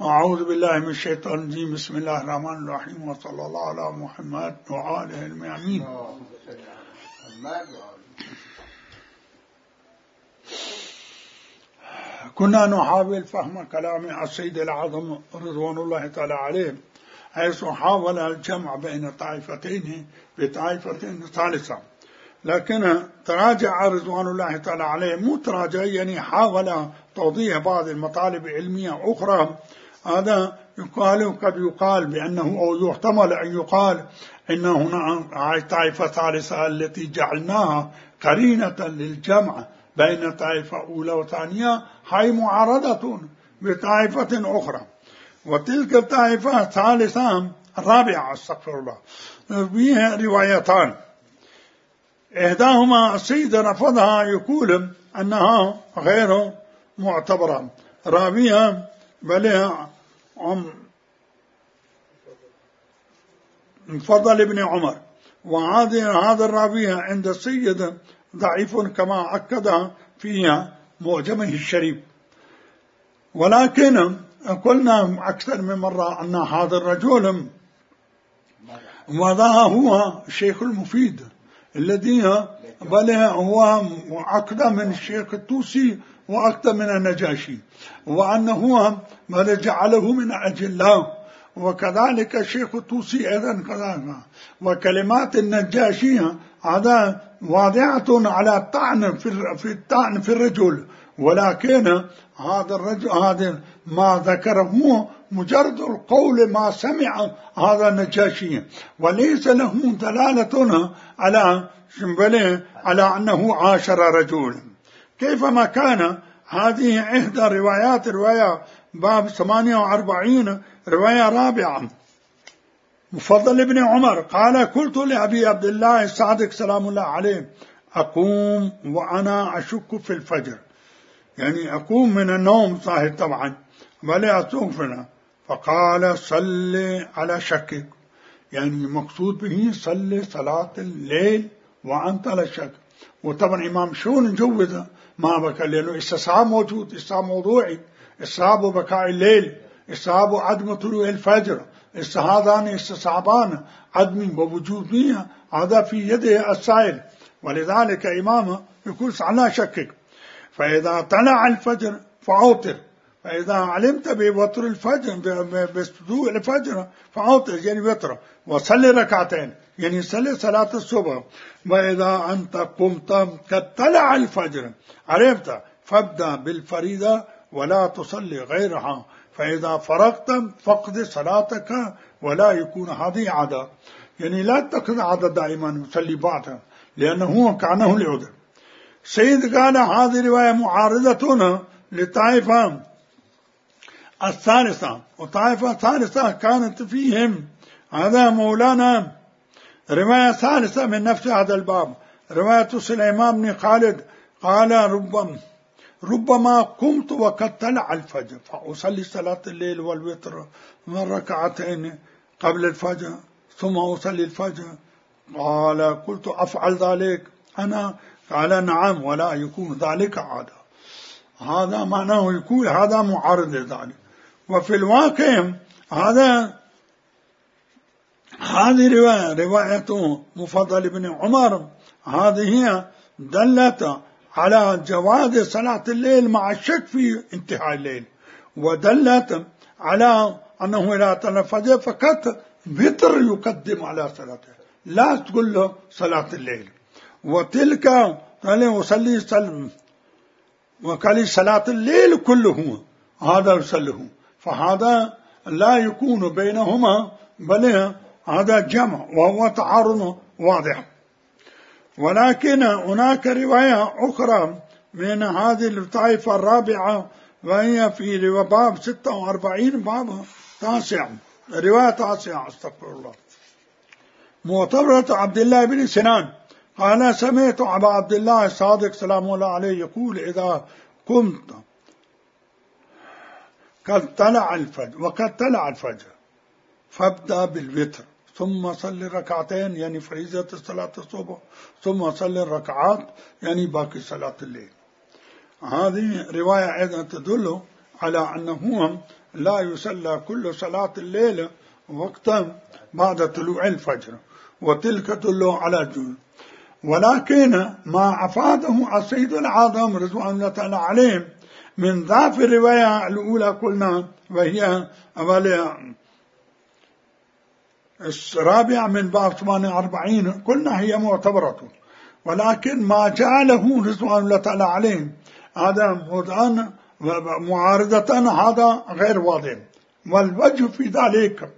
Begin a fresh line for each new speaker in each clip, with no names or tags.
أعوذ بالله من الشيطان الرجيم. بسم الله الرحمن الرحيم، وصلى الله على محمد وآله المعين. كنا نحاول فهم كلام السيد الأعظم رضوان الله تعالى عليه، حيث حاول الجمع بين طائفتين بطائفة ثالثة، لكن تراجع رضوان الله تعالى عليه، مو تراجع يعني حاول توضيح بعض المطالب العلمية أخرى. هذا يقال قد يقال بأنه أو يحتمل أن يقال إن هنا طائفة ثالثة التي جعلناها قرينة للجمع بين طائفة أولى وثانية هي معارضة بطائفة أخرى، وتلك الطائفة الثالثة الرابعة استغفر الله فيها روايتان، إحداهما السيد رفضها يقول أنها غير معتبرة، رابعها بل فضل ابن عمر، وهذا الرابعة عند السيد ضعيف كما أكد فيها معجمه الشريف. ولكن قلنا أكثر من مرة أن هذا الرجل وذا هو الشيخ المفيد الذي بل هو أقدم من الشيخ الطوسي وأقدم من النجاشي، وأنه بل جعله من أجله، وكذلك الشيخ الطوسي أيضا كذلك. وكلمات النجاشي هذا واضعة على الطعن في الرجل، ولكن هذا الرجل هذا ما ذكره مجرد القول ما سمع هذا النجاشي، وليس له دلالة على أنه عاشر رجلا. كيفما كان هذه إحدى روايات رواية باب 48 رواية رابعة. مفضل ابن عمر قال: قلت لأبي عبد الله الصادق سلام الله عليه: أقوم وأنا أشك في الفجر، يعني أقوم من النوم صاحب طبعا ولا أتوفنا، فقال: صل على شكك، يعني مقصود به صل صلاة الليل وأنت على شك. وطبعا إمام شون جوز ما بكى، لأنه استصحاب موجود، استصحاب موضوعي، استصحاب بكاء الليل، استصحاب عدم طلوع الفجر، هذان استصحابان عدم ووجودية، هذا في يده السائل، ولذلك إمامه يقول على شكك. فإذا طلع الفجر فأوتر، فإذا علمت بوتر الفجر بطلوع الفجر فأوتر يعني وتر، وصلي ركعتين يعني صلي صلاة الصبح. وإذا أنت قمت قد طلع الفجر عرفت فابدأ بالفريضة ولا تصلي غيرها، فإذا فرغت فقد صلاتك ولا يكون هذه عادة، يعني لا تقضي عادة دائما يصلي بعدها لأنه كانه العذر. سيد قال هذه رواية معارضة للطائفة الثالثة، والطائفة الثالثة كانت فيهم هذا مولانا رواية ثالثة من نفس هذا الباب، رواية سليمان بن خالد قال: ربما قمت وقد طلع الفجر فأصلي صلاة الليل والوتر من ركعتين قبل الفجر ثم أصلي الفجر. قال: قلت: أفعل ذلك أنا؟ قال: نعم، ولا يكون ذلك عادة. هذا معناه يكون هذا معارض ذلك. وفي الواقع هذه رواية مفضل بن عمر هذه دلت على جواز صلاة الليل مع الشك في انتهاء الليل، ودلت على أنه إذا طلع الفجر فقط وتر يقدم على صلاته، لا تقول له صلاة الليل. وتلك قال: وصلي وقال صلاة الليل كله هذا يصله، فهذا لا يكون بينهما بل هذا جمع وهو تعارض واضح. ولكن هناك رواية أخرى من هذه الطائفة الرابعة، وهي في باب 46 باب تاسع، رواية تاسعة استغفر الله. معتبرة عبد الله بن سنان قال: سمعت أبا عبد الله الصادق سلام الله عليه يقول: إذا قمت قد طلع الفجر فابدأ بالوتر ثم صلي ركعتين يعني فريضة صلاة الصبح، ثم صلي الركعات يعني باقي صلاة الليل. هذه رواية أيضا تدل على أنه لا يصلى كل صلاة الليل وقتا بعد طلوع الفجر، وتلك تدل على الجنون. ولكن ما أفاده السيد العظم رضوان الله تعالى عليه من ضعف الرواية الأولى قلنا، وهي الرابعة من باب 48 قلنا هي معتبرة، ولكن ما جعله رضوان الله تعالى عليه هذا معارضة هذا غير واضح. والوجه في ذلك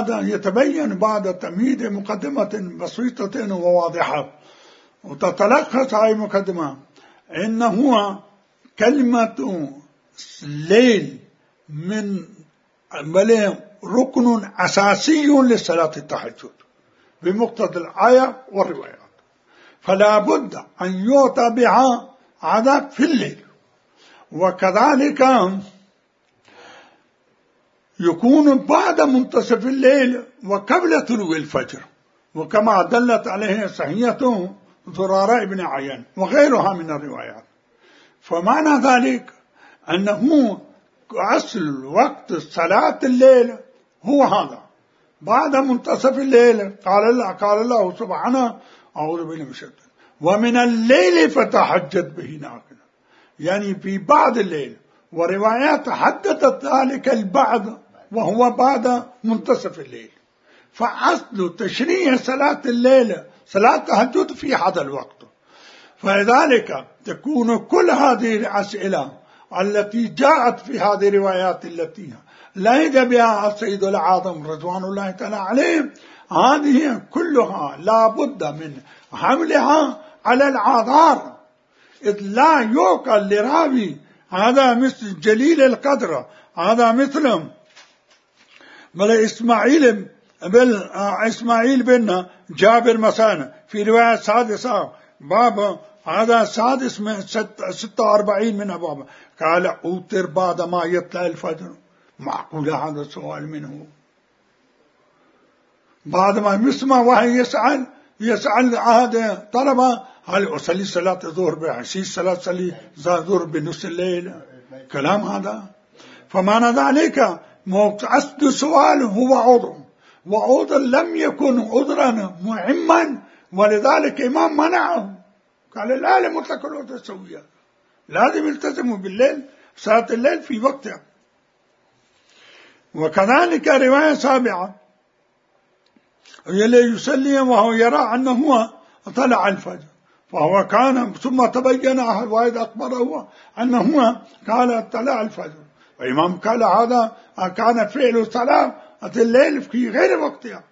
يتبين بعد تمهيد مقدمة بسيطة وواضحة، وتتلخص هذه المقدمة إنه كلمة الليل من ركن أساسي لصلاة التهجد بمقتضى الآية والروايات، فلا بد أن يؤتى بها عادة في الليل. وكذلك يكون بعد منتصف الليل وقبل طلوع الفجر، وكما دلت عليه صحيحة زرارة بن عيان وغيرها من الروايات. فمعنى ذلك أنه أصل وقت صلاة الليل هو هذا بعد منتصف الليل. قال الله سبحانه أعوذ بالله من الشيطان ومن الليل فتهجد به نافلة، يعني في بعد الليل، وروايات حددت ذلك البعد وهو بعد منتصف الليل. فأصل تشريع صلاة الليل صلاة التهجد في هذا الوقت. فلذلك تكون كل هذه الأسئلة التي جاءت في هذه الروايات التي لهج بها السيد العظم رضوان الله تعالى عليه، هذه كلها لا بد من حملها على الآثار، إذ لا يعقل لراوي هذا مثل جليل القدر، هذا مثل إسماعيل بن جابر مثلا في رواية سادسة باب هذا سادس من 46 من أبواب، قال أوتر بعد ما يطلع الفجر. معقول هذا السؤال منه؟ بعد ما يسمع وهي يسأل هذا طلبة هل أصلي صلاة الظهر بعشيش صلاة الظهر بنص الليل؟ كلام هذا. فمعنى ذلك أصل السؤال هو عذر، وعذر لم يكن عذرا مهما، ولذلك إمام منعه، قال لا لمطلق العذر السوية، لازم يلتزموا بالليل صلاة الليل في وقتها. وكذلك رواية سابعة يلي يصلي وهو يرى أنه طلع الفجر، فهو كان ثم تبين واحد أخبره أنه قال طلع الفجر، وإمام قال هذا كان فعل صلاة الليل في غير وقتها،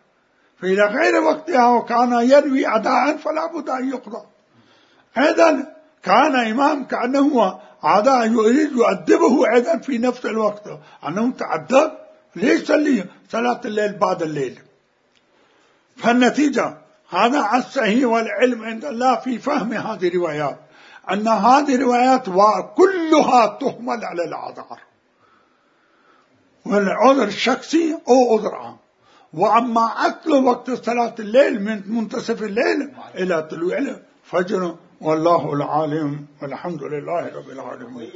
في غير وقتها، وكان يروي أداء فلا بد أن يقضى. أيضا كان إمام كأنه عادة يريد يؤدبه أيضا في نفس الوقت، أنه تعدد ليش يصلي صلاة الليل بعد الليل. فالنتيجة هذا الصحيح والعلم عند الله في فهم هذه الروايات، أن هذه الروايات كلها تحمل على الأعذار، والعذر الشخصي أو عذر عام. وأما أصل وقت صلاة الليل من منتصف الليل إلى طلوع الفجر، والله العالم، والحمد لله رب العالمين.